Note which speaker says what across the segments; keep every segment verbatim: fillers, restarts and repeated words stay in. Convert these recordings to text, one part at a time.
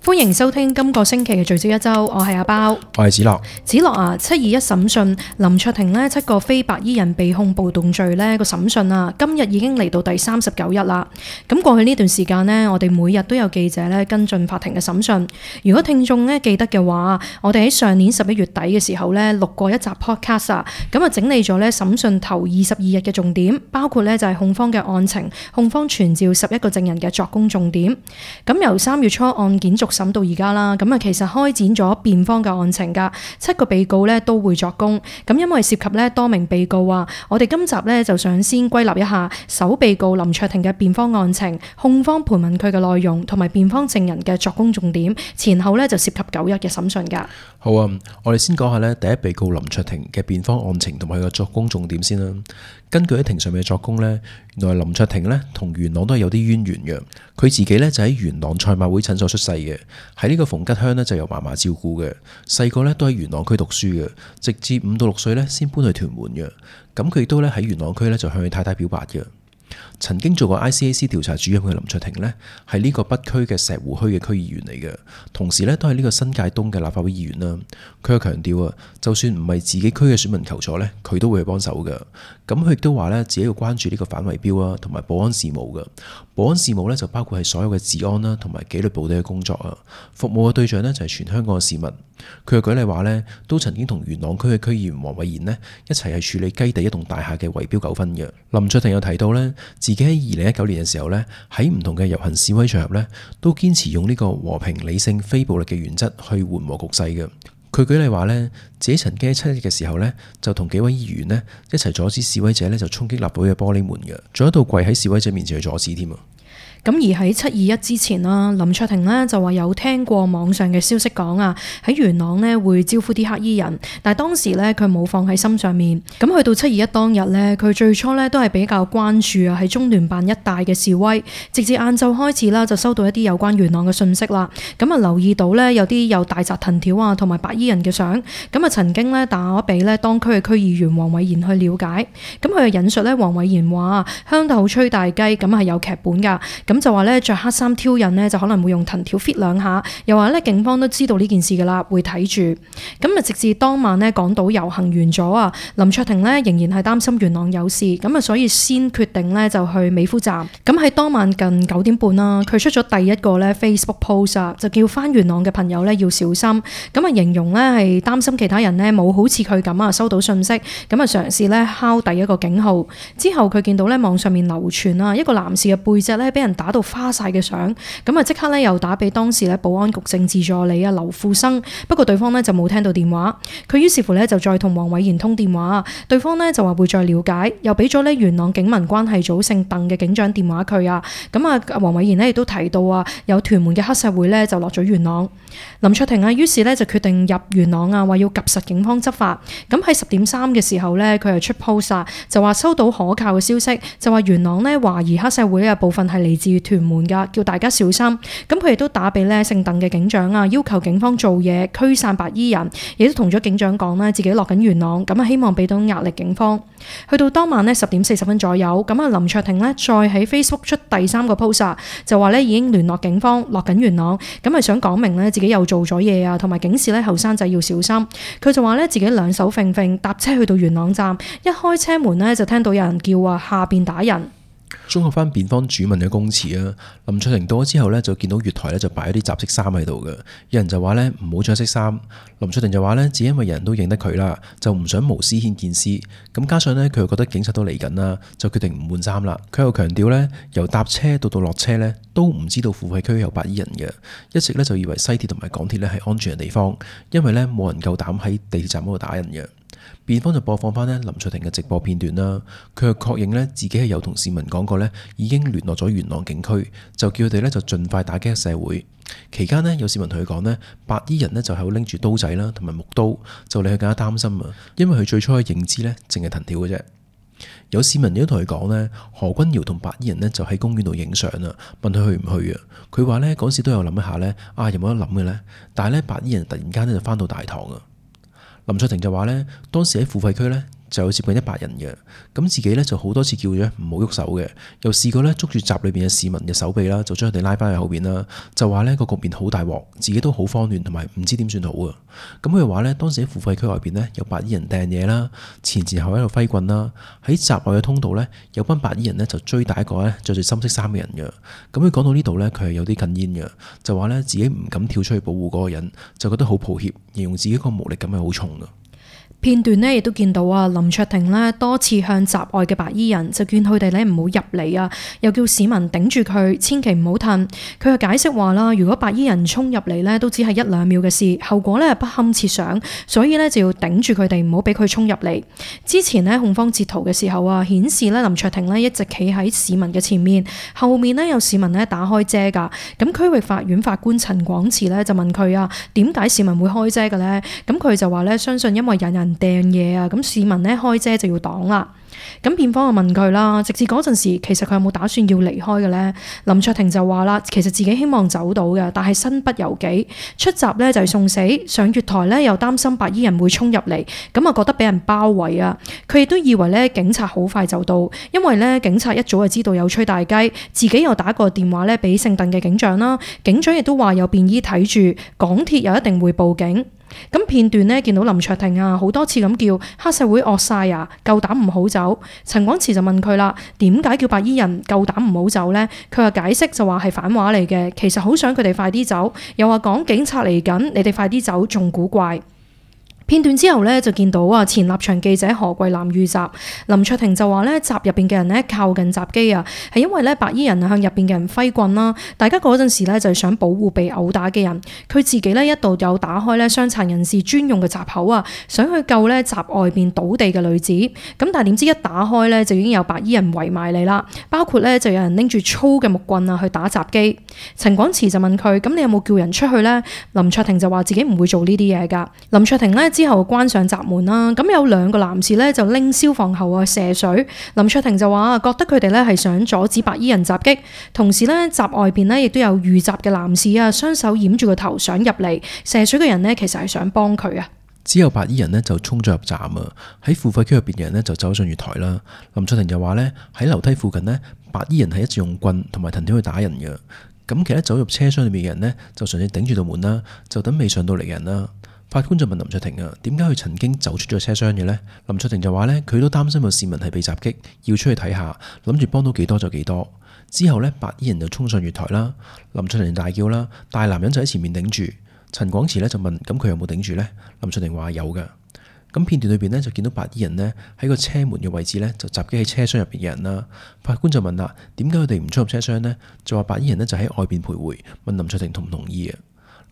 Speaker 1: 歡迎收聽今個星期嘅聚焦一周，我係阿包，
Speaker 2: 我係子樂。
Speaker 1: 子樂啊，七二一審訊林卓廷呢七個非白衣人被控暴動罪呢個審訊啊，今日已經嚟到第三十九日啦。咁過去呢段時間呢，我哋每日都有記者呢跟進法庭嘅審訊。如果聽眾呢記得嘅話，我哋喺上年十一月底嘅時候呢錄過一集 podcast 啊，咁啊整理咗呢審訊頭二十二日嘅重點，包括呢就係控方嘅案情、控方傳召十一個證人嘅作供重點。咁由三月初案件續審到而家啦，咁啊其實開展咗辯方嘅案情噶，七個被告咧都會作供。咁因為涉及咧多名被告啊，我哋今集咧就想先歸納一下首被告林卓廷嘅辯方案情、控方盤問佢嘅內容同埋辯方證人嘅作供重點，前後咧就涉及九日嘅審訊噶。
Speaker 2: 好啊，我哋先講下咧第一被告林卓廷嘅辯方案情同埋佢嘅作供重點先啦。根據喺庭上面嘅作供呢，原來林卓廷呢同元朗都係有啲淵源嘅。佢自己呢就喺元朗賽馬會診所出世嘅，喺呢個馮吉鄉呢就由嫲嫲照顧嘅。細個呢都喺元朗區讀書嘅，直至五到六歲呢先搬去屯門嘅。咁佢亦都咧喺元朗區呢就向佢太太表白嘅。曾經做過 I C A C 調查主任嘅林卓廷呢，係呢個北區嘅石湖墟嘅區議員嚟嘅，同時呢都係呢個新界東嘅立法會議員啦。佢又強調啊，就算唔係自己區嘅選民求助呢，佢都會去幫手嘅。咁佢亦都話呢，自己要關注呢個反圍標啊，同埋保安事務嘅。保安事務呢，就包括係所有嘅治安啦，同埋紀律部隊嘅工作啊。服務嘅對象呢，就係全香港嘅市民。佢又舉例話呢，都曾經同元朗區嘅區議員黃偉賢呢一齊係處理雞地一棟大廈嘅圍標糾紛嘅。林卓廷有提到呢，自己喺二零一九年嘅時候呢，喺唔同嘅遊行示威場合呢，都堅持用呢個和平、理性、非暴力嘅原則去緩和局勢嘅。佢舉例話呢，自己曾經喺七日嘅時候呢，就同幾位議員呢一齊阻止示威者呢就衝擊立法會嘅玻璃門嘅，仲一度跪喺示威者面前去阻止添啊。
Speaker 1: 咁而喺七二一之前啦，林卓廷呢就話有聽過網上嘅消息講啊，喺元朗呢會招呼啲黑衣人，但係當時呢，佢冇放喺心上面。咁去到七二一當日呢，佢最初呢都係比較關注啊喺中聯辦一帶嘅示威，直至晏晝開始啦，就收到一啲有關元朗嘅訊息啦。咁啊留意到呢，有啲有大紮藤條啊同埋白衣人嘅相，咁啊曾經呢打俾呢當區嘅區議員黃偉賢去了解。咁佢引述呢，黃偉賢話鄉土吹大雞，咁係有劇本㗎。咁就話咧着黑衫挑釁呢，就可能會用藤條 fit 兩下，又話咧警方都知道呢件事噶啦，會睇住。咁啊直至當晚呢，港島遊行完咗啊，林卓廷呢仍然係擔心元朗有事，咁啊所以先決定呢就去美孚站。咁喺當晚近九點半啦，佢出咗第一個咧 Facebook post 啊，就叫翻元朗嘅朋友咧要小心。咁啊形容呢係擔心其他人呢冇好似佢咁啊收到訊息，咁啊嘗試咧敲第一個警號。之後佢見到咧網上面流傳啊一個男士嘅背脊咧俾人打到花晒嘅相，咁啊即刻咧又打俾當時咧保安局政治助理啊劉富生，不過對方咧就冇聽到電話，佢於是乎咧就再同黃偉賢通電話，對方咧就話會再了解，又俾咗咧元朗警民關係組姓鄧嘅警長電話佢啊，咁啊黃偉賢咧亦都提到啊有屯門嘅黑社會咧就落咗元朗，林卓廷啊於是咧就決定入元朗啊，話要及實警方執法，咁喺十點三嘅時候咧佢係出 post 啊，就話收到可靠嘅消息，就話元朗咧懷疑黑社會嘅部分係嚟自屯門噶，叫大家小心。咁佢亦都打俾咧姓鄧嘅警長啊，要求警方做嘢驅散白衣人，亦都同咗警長講咧自己落緊元朗，咁啊希望俾到壓力警方。去到當晚咧十點四十分左右，咁啊林卓廷咧再喺 Facebook 出第三個 post 就話咧已經聯絡警方落緊元朗，咁係想講明咧自己又做咗嘢啊，同埋警示咧後生仔要小心。佢就話咧自己兩手揈揈搭車去到元朗站，一開車門咧就聽到有人叫啊下邊打人。
Speaker 2: 綜合翻辯方主問嘅供詞啊，林卓廷到咗之後呢，就見到月台呢就擺咗啲雜色衫喺度嘅，有人就話呢唔好着色衫，林卓廷就話呢只因為人人都認得佢啦，就唔想無私牽見私，咁加上呢，佢又覺得警察都嚟緊啦，就決定唔換衫啦。佢又強調呢，由搭車到到落車呢，都唔知道付費區有白衣人嘅，一直呢就以為西鐵同埋港鐵呢係安全嘅地方，因為呢冇人夠膽喺地鐵站嗰度打人嘅。辯方就播放翻呢林卓廷嘅直播片段啦，佢又確認呢自己係有同市民講過呢已經聯絡咗元朗警區，就叫佢哋呢就盡快打擊社會。期間呢，有市民同佢講呢白衣人呢就喺度拎住刀仔啦同埋木刀，就令佢更加擔心啊，因為佢最初嘅認知呢淨係藤條嘅啫。有市民亦都同佢講呢何君堯同白衣人呢就喺公園度影相啊，問佢去唔去啊？佢話呢嗰時都有諗一下呢，啊有冇得諗嘅呢？但係呢白衣人突然間呢就翻到大堂啊。林卓廷就話呢當時喺付費區呢就有接近一百人嘅。咁自己咧就好多次叫咗唔好喐手嘅，又試過咧捉住閘裏邊嘅市民嘅手臂啦，就將佢哋拉翻去後邊啦，就話呢個局面好大鑊，自己都好慌亂同埋唔知點算好啊。咁佢話呢，當時喺付費區外邊呢，有白衣人掟嘢啦，前前後喺度揮棍啦，喺閘外嘅通道呢，有班白衣人呢就追打一個呢着住深色衫嘅人嘅。咁佢講到呢度呢，佢係有啲哽咽嘅，就話呢自己唔敢跳出去保護嗰個人，就覺得好抱歉，形容自己個無力感係好重嘅。
Speaker 1: 片段呢亦都見到啊，林卓廷呢多次向閘外嘅白衣人就勸佢哋呢唔好入嚟啊，又叫市民頂住佢，千祈唔好褪。佢嘅解釋話啦，如果白衣人衝入嚟呢，都只係一兩秒嘅事，後果呢不堪設想，所以呢就要頂住佢哋，唔好俾佢衝入嚟。之前呢控方截圖嘅時候啊，顯示呢林卓廷呢一直企喺市民嘅前面，後面呢有市民呢打開遮㗎。咁區域法院法官陳廣慈呢就問佢啊，點解市民會開遮嘅呢？咁佢就話呢，相信因為有人掟嘢啊，咁市民呢開遮就要擋啦。咁辯方就問佢啦，直至嗰陣時，其實佢有冇打算要離開嘅呢？林卓廷就話啦，其實自己希望走到嘅，但係身不由己，出閘呢就係送死，上月台呢又擔心白衣人會衝入嚟，咁啊覺得俾人包圍啊。佢亦都以為呢警察好快就到，因為呢警察一早就知道有吹大雞，自己又打個電話呢俾聖鄧嘅警長啦，警長亦都話有便衣睇住，港鐵又一定會報警。咁片段呢見到林卓廷啊好多次咁叫黑社會惡晒啊，夠膽唔好走。陳廣慈就問佢啦，點解叫白衣人夠膽唔好走呢？佢話解釋就話係反話嚟嘅，其實好想佢哋快啲走，又話講警察嚟緊，你哋快啲走仲古怪。片段之後呢，就見到啊前立場記者何桂藍遇襲，林卓廷就話呢閘入邊嘅人呢靠近閘機啊，係因為呢白衣人向入邊嘅人揮棍啦，大家嗰陣時呢就係想保護被毆打嘅人，佢自己呢一度有打開呢傷殘人士專用嘅閘口啊，想去救呢閘外邊倒地嘅女子，咁但係點知一打開呢，就已經有白衣人圍埋嚟啦，包括呢就有人拎住粗嘅木棍啊去打閘機。陳廣慈就問佢，咁你有冇叫人出去呢？林卓廷就話自己唔會做呢啲嘢㗎。林卓廷呢。之後關上閘門啦，咁有兩個男士咧就拎消防喉啊射水。林卓廷就話覺得佢哋咧係想阻止白衣人襲擊，同時咧閘外邊咧亦都有遇襲嘅男士啊，雙手掩住個頭想入嚟射水嘅人呢，其實係想幫佢啊。
Speaker 2: 之後白衣人呢就衝咗入站啊，喺付費區入邊嘅人呢就走上月台啦。林卓廷就話呢，喺樓梯附近呢，白衣人係一直用棍同埋藤條去打人嘅。咁其他走入車廂裏面嘅人呢，就純粹頂住道門啦，就等未上到嚟嘅人啦。法官就問林卓廷啊，點解佢曾經走出咗車廂嘅呢？林卓廷就話呢，佢都擔心有市民係被襲擊，要出去睇下，諗住幫到幾多就幾多。之後呢，白衣人就衝上月台啦，林卓廷大叫啦，大男人就喺前面頂住。陳廣慈呢就問，咁佢有冇頂住呢？林卓廷話有㗎。咁片段裏邊呢，就見到白衣人呢喺個車門嘅位置呢，就襲擊喺車廂入邊嘅人啦。法官就問啦，點解佢哋唔出入車廂呢？就話白衣人呢就喺外邊徘徊，問林卓廷同唔同意啊？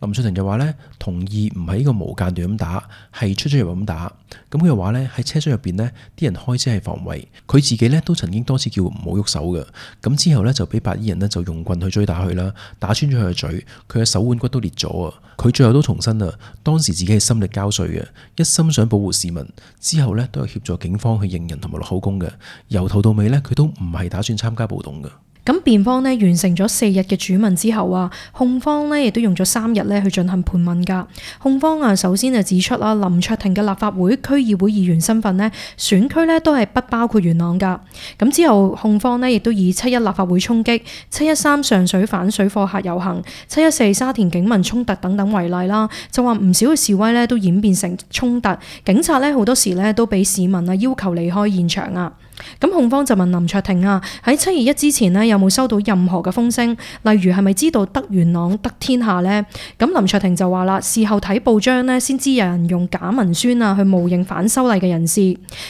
Speaker 2: 林卓廷就話呢，同意唔係呢個無間斷咁打，係出出入入咁打。咁佢又話呢，喺車廂入邊呢啲人開車係防衛，佢自己呢都曾經多次叫唔好喐手嘅。咁之後呢，就俾白衣人呢就用棍去追打佢啦，打穿咗佢嘅嘴，佢嘅手腕骨都裂咗啊！佢最後都重申啊，當時自己係心力交瘁嘅，一心想保護市民。之後呢，都有協助警方去認人同埋落口供嘅，由頭到尾呢，佢都唔係打算參加暴動嘅。
Speaker 1: 咁辯方呢完成咗四日嘅主問之後啊，控方呢亦都用咗三日呢去進行盤問㗎。控方啊首先就指出啦，林卓廷嘅立法會區議會議員身份呢，選區呢都係不包括元朗㗎。咁之後控方呢亦都以七一立法會衝擊、七一三上水反水貨客遊行、七一四沙田警民衝突等等為例啦，就話唔少嘅示威呢都演變成衝突，警察呢好多時呢都俾市民啊要求離開現場啊。咁控方就問林卓廷啊，喺七二一之前呢，有冇收到任何嘅風聲，例如係咪知道得元朗得天下呢？咁林卓廷就話啦，事後睇報章呢，先知有人用假文宣啊去冒認反修例嘅人士。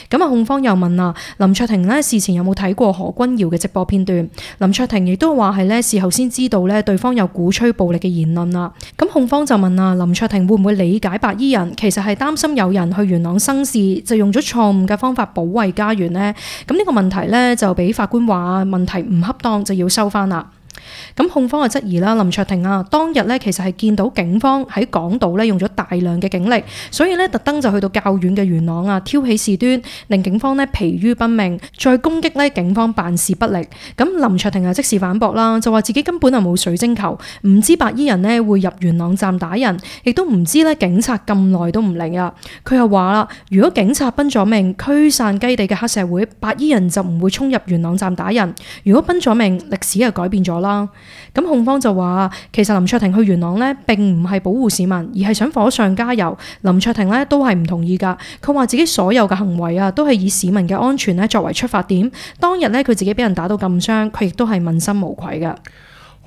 Speaker 1: 咁啊控方又問啊，林卓廷呢，事前有冇睇過何君堯嘅直播片段？林卓廷亦都話係呢，事後先知道呢，對方有鼓吹暴力嘅言論啊。咁控方就問啊，林卓廷會唔會理解白衣人其實係擔心有人去元朗生事，就用咗錯誤嘅方法保衛家園呢？咁呢個問題呢，就俾法官話問題唔恰當，就要收翻啦。咁控方就質疑啦，林卓廷啊，當日咧其實係見到警方喺港島咧用咗大量嘅警力，所以咧特登就去到較遠嘅元朗啊，挑起事端，令警方咧疲於奔命，再攻擊咧警方辦事不力。咁林卓廷啊即時反駁啦，就話自己根本就冇水晶球，唔知白衣人咧會入元朗站打人，亦都唔知咧警察咁耐都唔嚟啊。佢又話啦，如果警察奔咗命驅散雞地嘅黑社會，白衣人就唔會衝入元朗站打人。如果奔咗命，歷史就改變咗啦。咁控方就話，其實林卓廷去元朗呢並唔係保護市民，而係想火上加油。林卓廷呢都係唔同意㗎。佢話自己所有嘅行為啊，都係以市民嘅安全呢作為出發點。當日呢，佢自己俾人打到咁傷，佢亦都係問心無愧㗎。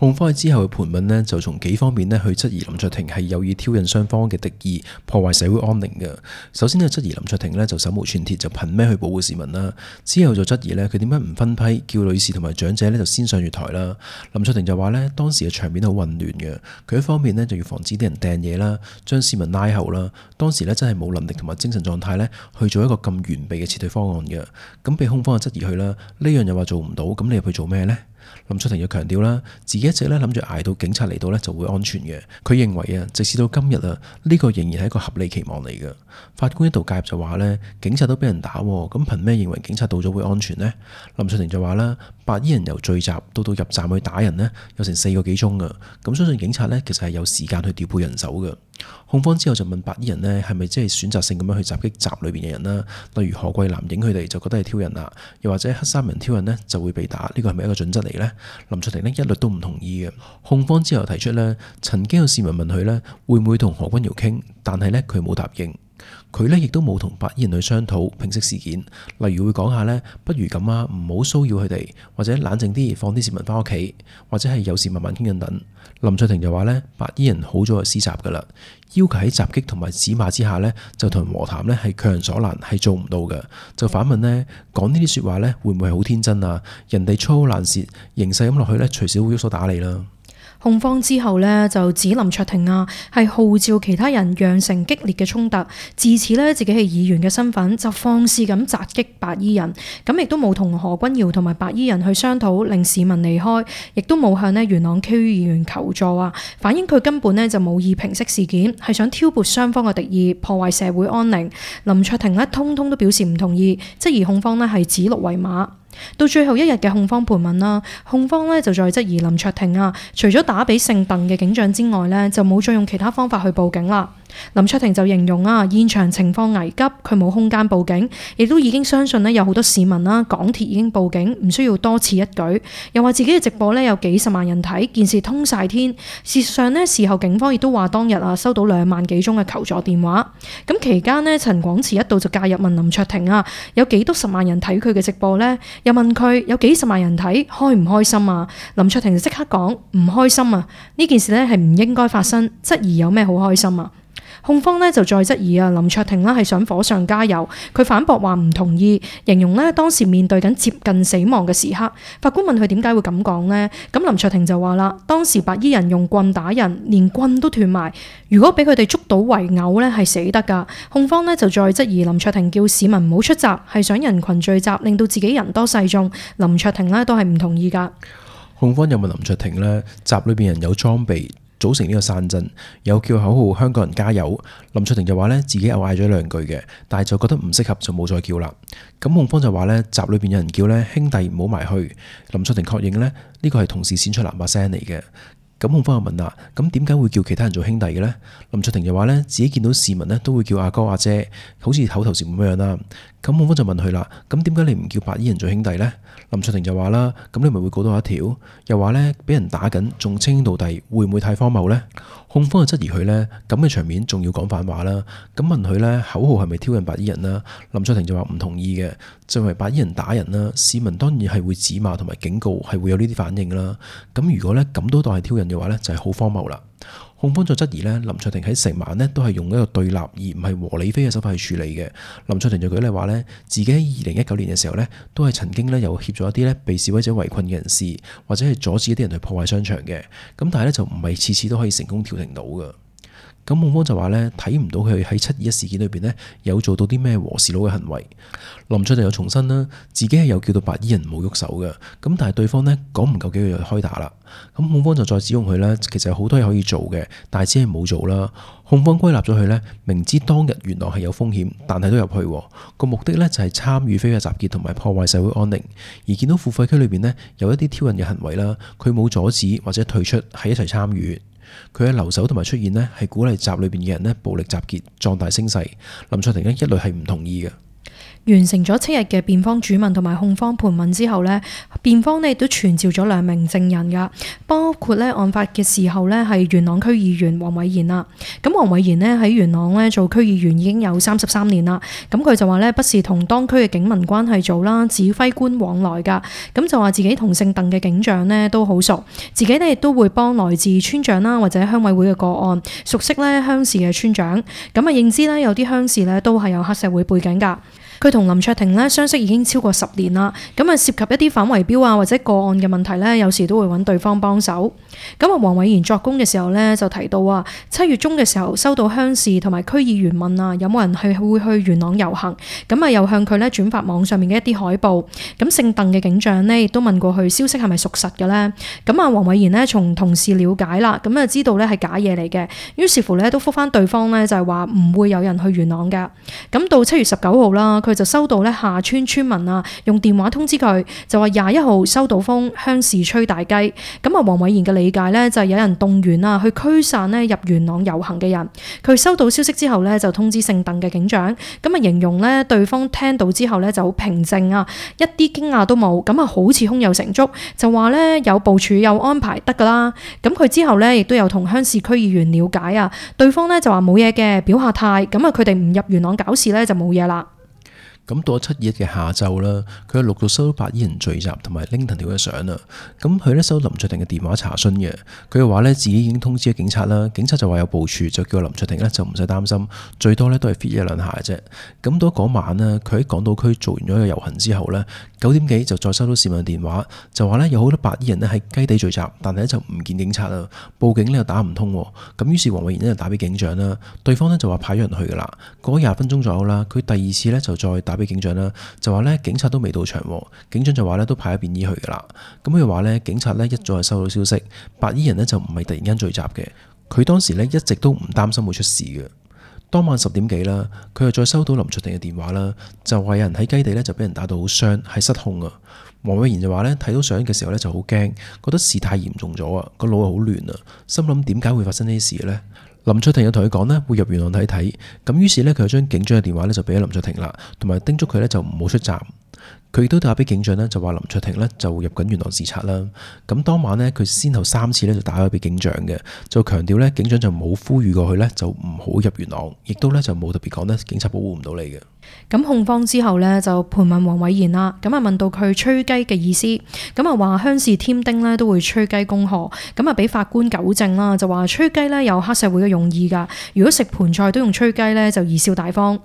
Speaker 2: 控方喺之後嘅盤問呢，就從幾方面呢去質疑林卓廷係有意挑釁雙方嘅敵意，破壞社會安寧嘅。首先呢，質疑林卓廷呢就手無寸鐵，就憑咩去保護市民啦？之後就質疑呢，佢點解唔分批叫女士同埋長者呢就先上月台啦？林卓廷就話呢，當時嘅場面好混亂嘅，佢一方面呢就要防止啲人掟嘢啦，將市民拉後啦。當時呢真係冇能力同埋精神狀態呢去做一個咁完備嘅撤退方案嘅。咁被控方就質疑佢啦，呢樣又話做唔到，咁你入去做咩呢？林卓廷又強調啦，自己一直咧諗住捱到警察嚟到咧就會安全嘅。佢認為啊，直至到今日啊，呢個仍然係一個合理期望嚟嘅。法官一度介入就話呢，警察都俾人打，咁憑咩認為警察到咗會安全呢？林卓廷就話啦，白衣人由聚集到到入站去打人呢，有成四個幾鐘啊。咁相信警察呢，其實係有時間去調配人手嘅。控方之後就問白衣人呢，係咪即係選擇性咁樣去襲擊站裏邊嘅人啦？例如何桂藍影佢哋就覺得係挑釁啦，又或者黑衫人挑釁呢就會被打，呢個係咪一個準則嚟呢？林卓廷呢一律都唔同意嘅。控方之後提出呢，曾經有市民問佢呢會唔會同何君堯傾，但係呢，佢冇答應。佢呢亦都冇同白衣人去商討平息事件，例如會講下呢，不如咁啊，唔好騷擾佢哋，或者冷靜啲，放啲市民翻屋企，或者係有事慢慢傾緊等。林卓廷就話呢，白衣人好早就施襲噶啦，要求喺襲擊同埋指罵之下呢，就同人和談呢係強人所難，係做唔到嘅。就反問呢，講呢啲說話呢，會唔會係好天真啊？人哋粗口爛舌，形勢咁落去呢，隨時會喐手打你啦。
Speaker 1: 控方之後呢，就指林卓廷啊係號召其他人釀成激烈嘅衝突，自此呢，自己係議員嘅身份就放肆咁襲擊白衣人，咁亦都冇同何君堯同埋白衣人去商討令市民離開，亦都冇向呢元朗區議員求助啊，反映佢根本呢就冇意平息事件，係想挑撥雙方嘅敵意，破壞社會安寧。林卓廷呢，通通都表示唔同意，質疑控方呢係指鹿為馬。到最後一日嘅控方盤問啦，控方呢就再質疑林卓廷啊，除咗打俾姓鄧嘅警長之外呢，就冇再用其他方法去報警啦。林卓廷就形容啊，現場情況危急，佢冇空間報警，亦都已經相信呢有好多市民啦，港鐵已經報警，唔需要多此一舉。又話自己嘅直播呢有幾十萬人睇，件事通晒天。事實上呢，事後警方亦都話當日啊收到兩萬幾宗嘅求助電話。咁期間呢，陳廣慈一度就介入問林卓廷啊，有幾多十萬人睇佢嘅直播呢？又問佢有幾十萬人睇，開唔開心啊？林卓廷就即刻講唔開心啊！呢件事呢係唔應該發生，質疑有咩好開心啊？控方呢就再質疑啊，林卓廷呢係想火上加油，佢反駁話唔同意，形容呢當時面對緊接近死亡嘅時刻。法官問佢點解會咁講呢？咁林卓廷就話啦，當時白衣人用棍打人，連棍都斷埋，如果俾佢哋捉到圍毆呢係死得噶。控方呢就再質疑林卓廷叫市民唔好出閘，係想人群聚集，令到自己人多勢眾。林卓廷呢都係唔同意噶。
Speaker 2: 控方又問林卓廷呢，閘裏邊人有裝備，組成呢個散陣，有叫口號香港人加油。林卓廷就話呢，自己又嗌咗兩句嘅，但係就覺得唔適合就冇再叫啦。咁控方就話呢，閘裏邊有人叫呢，兄弟唔好埋去。林卓廷確認呢，呢個係同事先出喇叭聲嚟嘅。咁控方就問啦，咁點解會叫其他人做兄弟嘅呢？林卓廷就話呢，自己見到市民呢都會叫阿哥阿姐，好似口頭禪咁樣啦。咁控方就問佢啦，咁點解你唔叫白衣人做兄弟呢？林卓廷就話啦，咁你咪會告到一條，又話呢，俾人打緊仲稱兄道弟，會唔會太荒謬呢？控方就質疑佢呢，咁嘅場面仲要講反話啦。咁問佢呢，口號係咪挑釁白衣人啦？林卓廷就話唔同意嘅，就係白衣人打人啦，市民當然係會指罵同埋警告，係會有呢啲反應啦。咁如果呢，咁都當係挑釁嘅話呢，就係好荒謬啦。控方再質疑呢，林卓廷喺成晚呢都係用一個對立而唔係和理非嘅手法去處理嘅。林卓廷就舉例話呢，自己喺二零一九年嘅時候呢，都係曾經呢有協助一啲呢被示威者圍困嘅人士，或者係阻止一啲人去破壞商場嘅。咁但係呢，就唔係次次都可以成功調停到嘅。咁控方就話呢，睇唔到佢喺七二一事件裏邊呢有做到啲咩和事佬嘅行為。林卓廷又重申啦，自己係有叫到白衣人唔好喐手嘅，咁但係對方呢講唔夠幾句就開打啦。咁控方就再指控佢呢，其實有好多嘢可以做嘅，但係只係冇做啦。控方歸納咗佢呢，明知當日元朗係有風險，但係都入去，個目的呢就係參與非法集結同埋破壞社會安寧。而見到付費區裏邊呢有一啲挑釁嘅行為啦，佢冇阻止或者退出，係一齊參與。佢嘅留守同埋出現呢，係鼓勵集裏邊嘅人呢暴力集結，壯大聲勢。林卓廷呢一律係唔同意嘅。
Speaker 1: 完成咗七日嘅辯方主問同埋控方盤問之後呢，辯方呢亦都傳召咗兩名證人噶，包括呢案發嘅時候呢係元朗區議員黃偉賢啦。咁黃偉賢呢喺元朗呢做區議員已經有三十三年啦。咁佢就話呢，不是同當區嘅警民關係做啦，指揮官往來噶。咁就話自己同姓鄧嘅警長呢都好熟，自己呢亦都會幫來自村長啦或者鄉委會嘅個案，熟悉呢鄉事嘅村長。咁啊認知呢有啲鄉事呢都係有黑社會背景噶。佢同林卓廷咧相識已經超過十年啦，咁啊涉及一啲反圍標啊或者個案嘅問題咧，有時都會揾對方幫手。咁啊，黃偉賢作供嘅時候咧就提到啊，七月中嘅時候收到鄉事同埋區議員問啊，有冇人係會去元朗遊行？咁啊又向佢咧轉發網上面嘅一啲海報。咁姓鄧嘅警長呢亦都問過佢消息係咪屬實嘅咧？咁啊，黃偉賢呢從同事了解啦，咁啊知道咧係假嘢嚟嘅，於是乎咧都覆返對方咧就係話唔會有人去元朗㗎。咁到七月十九號啦。佢就收到咧下村村民啊，用電話通知佢，就話廿一號收到風，鄉事吹大雞。咁啊，黃偉賢嘅理解咧就係有人動員啊，去驅散咧入元朗遊行嘅人。佢收到消息之後咧，就通知姓鄧嘅警長，咁啊形容咧對方聽到之後咧就好平靜啊，一啲驚訝都冇，咁啊好似胸有成竹，就話咧有部署有安排得噶啦。咁佢之後咧亦都有同鄉事區議員了解啊，對方咧就話冇嘢嘅，表下態，咁啊佢哋唔入元朗搞事咧就冇嘢啦。
Speaker 2: 咁到咗七二一嘅下晝啦，佢又陸續收到白衣人聚集同埋拎藤條嘅相啦。咁佢咧收到林卓廷嘅電話查詢嘅，佢又話咧自己已經通知咗警察啦，警察就話有部署，就叫林卓廷咧就唔使擔心，最多咧都係 fit 一兩下嘅啫。咁到嗰晚呢，佢喺港島區做完咗個遊行之後呢，九點幾就再收到市民電話，就話咧有好多白衣人咧喺雞地聚集，但係咧就唔見警察啦，報警咧又打唔通。咁於是黃偉賢咧就打俾警長啦，對方咧就話派咗人去噶啦。過咗廿分鐘左右啦，佢第二次咧就再打俾警長啦，就話咧警察都未到場，警長就話咧都派咗便衣去噶啦。咁佢話咧警察咧一早就收到消息，白衣人咧就唔係突然間聚集嘅，佢當時咧一直都唔擔心會出事嘅。當晚十點幾啦，佢又再收到林卓廷嘅電話啦，就話有人喺雞地咧就俾人打到好傷，係失控啊。黃偉賢就話咧睇到相嘅時候咧就好驚，覺得事態嚴重咗啊，個腦又好亂啊，心諗點解會發生呢啲事咧？林卓廷又同佢講呢會入元朗睇睇，咁於是呢，佢就將警長嘅電話呢就俾咗林卓廷啦，同埋叮囑佢呢就唔好出站。佢亦都打俾警長呢，就話林卓廷呢就入緊元朗視察啦。咁當晚呢，佢先後三次呢就打咗俾警長嘅，就強調呢警長就冇呼籲過佢呢就唔好入元朗，亦都呢就冇特別講呢警察保護唔到你嘅。
Speaker 1: 咁控方之後呢，就盤問黃偉賢啦，咁啊問到佢吹雞嘅意思，咁啊話鄉事添丁呢都會吹雞恭賀，咁啊俾法官糾正啦，就話吹雞呢有黑社會嘅用意㗎，如果食盤菜都用吹雞呢，就貽笑大方。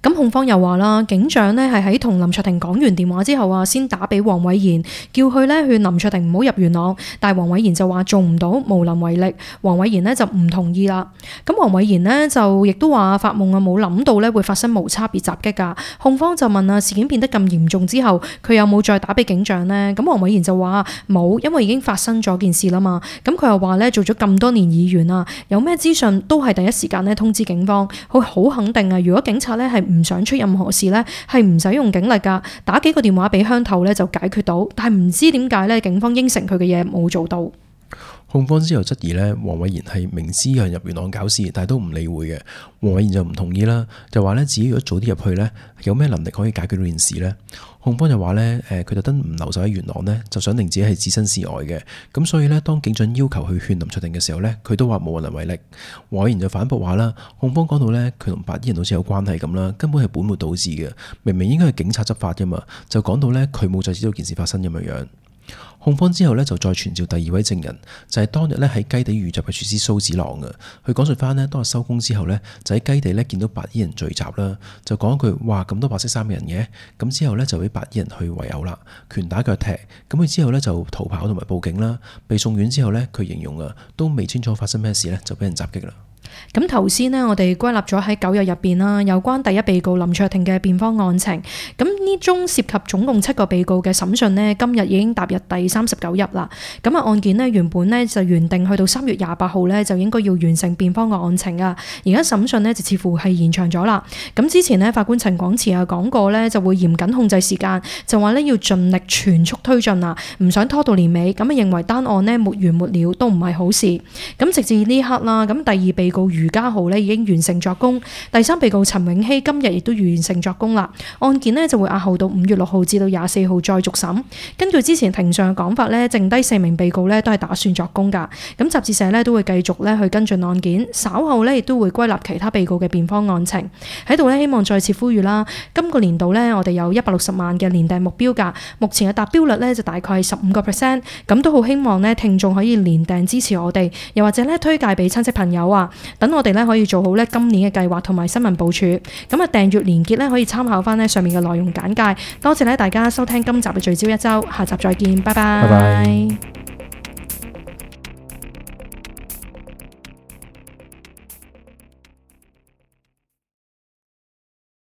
Speaker 1: 咁控方又話啦，警長呢係喺同林卓廷講完電話之後啊，先打俾黃偉賢，叫佢呢勸林卓廷唔好入元朗，但係黃偉賢就話做唔到，無能為力。黃偉賢呢就唔同意啦。咁黃偉賢呢就亦都話發夢啊，冇諗到呢會發生無差別襲擊㗎。控方就問啊，事件變得咁嚴重之後，佢有冇再打俾警長呢？咁黃偉賢就話冇，因為已經發生咗件事啦嘛。咁佢又話呢，做咗咁多年議員啊，有咩資訊都係第一時間呢通知警方。佢好肯定啊，如果警察呢係唔想出任何事呢，係唔使用警力㗎，打幾個電話俾鄉頭呢就解決到。但係唔知點解呢，警方應承佢嘅嘢冇做到。
Speaker 2: 控方之後質疑呢，黃偉賢係明知有人入元朗搞事，但係都唔理會嘅。黃偉賢就唔同意啦，就話呢，自己如果早啲入去呢，有咩能力可以解決到件事呢？控方就話呢，誒佢特登唔留守喺元朗呢，就想令自己係置身事外嘅。咁所以呢，當警長要求去勸林卓廷嘅時候呢，佢都話無能為力。黃偉賢就反駁話啦，控方講到呢，佢同白衣人好似有關係咁啦，根本係本末倒置嘅，明明應該係警察執法㗎嘛，就講到呢，佢冇就知道件事發生咁樣樣。控方之後呢，就再傳召第二位證人，就係、是、當日呢喺雞地遇襲嘅廚師蘇子朗嘅。佢講述翻呢，當日收工之後呢，就喺雞地呢見到白衣人聚集啦，就講一句哇咁多白色衫嘅人嘅，咁之後呢，就俾白衣人去圍毆啦，拳打腳踢，咁佢之後呢，就逃跑同埋報警啦。被送院之後呢，佢形容啊都未清楚發生咩事呢，就俾人襲擊啦。
Speaker 1: 咁頭先呢，我哋歸納咗喺九日入邊啦，有關第一被告林卓廷嘅辯方案情。咁呢宗涉及總共七個被告嘅審訊呢，今日已經踏入第三十九日啦。咁啊案件呢，原本呢就原定去到三月廿八號呢，就應該要完成辯方嘅案情啊。而家審訊呢，就似乎係延長咗啦。咁之前呢，法官陳廣慈啊講過呢，就會嚴謹控制時間，就話呢要盡力全速推進啊，唔想拖到年尾。咁啊認為單案呢沒完沒了都唔係好事。咁直至呢刻啦，咁第二被告余家豪呢已經完成作供，第三被告陳永熙今日亦都完成作供啦。案件呢就會押後到五月六號至到廿四號再續審。根據之前庭上嘅講法呢，剩低四名被告呢都係打算作供噶。咁集誌社呢都會繼續呢去跟進案件，稍後呢亦都會歸納其他被告嘅辯方案情。喺度呢希望再次呼籲啦，今個年度呢我哋有一百六十萬嘅年訂目標價，目前嘅達標率呢就大概係十五個 percent。咁都好希望呢聽眾可以年訂支持我哋，又或者呢推介俾親戚朋友啊，等我哋呢可以做好呢今年嘅計劃同埋新聞部署。咁啊訂閱連結呢可以參考翻呢上面嘅內容簡介。多謝呢大家收聽今集嘅聚焦一周，下集再見，拜拜。
Speaker 2: 拜拜。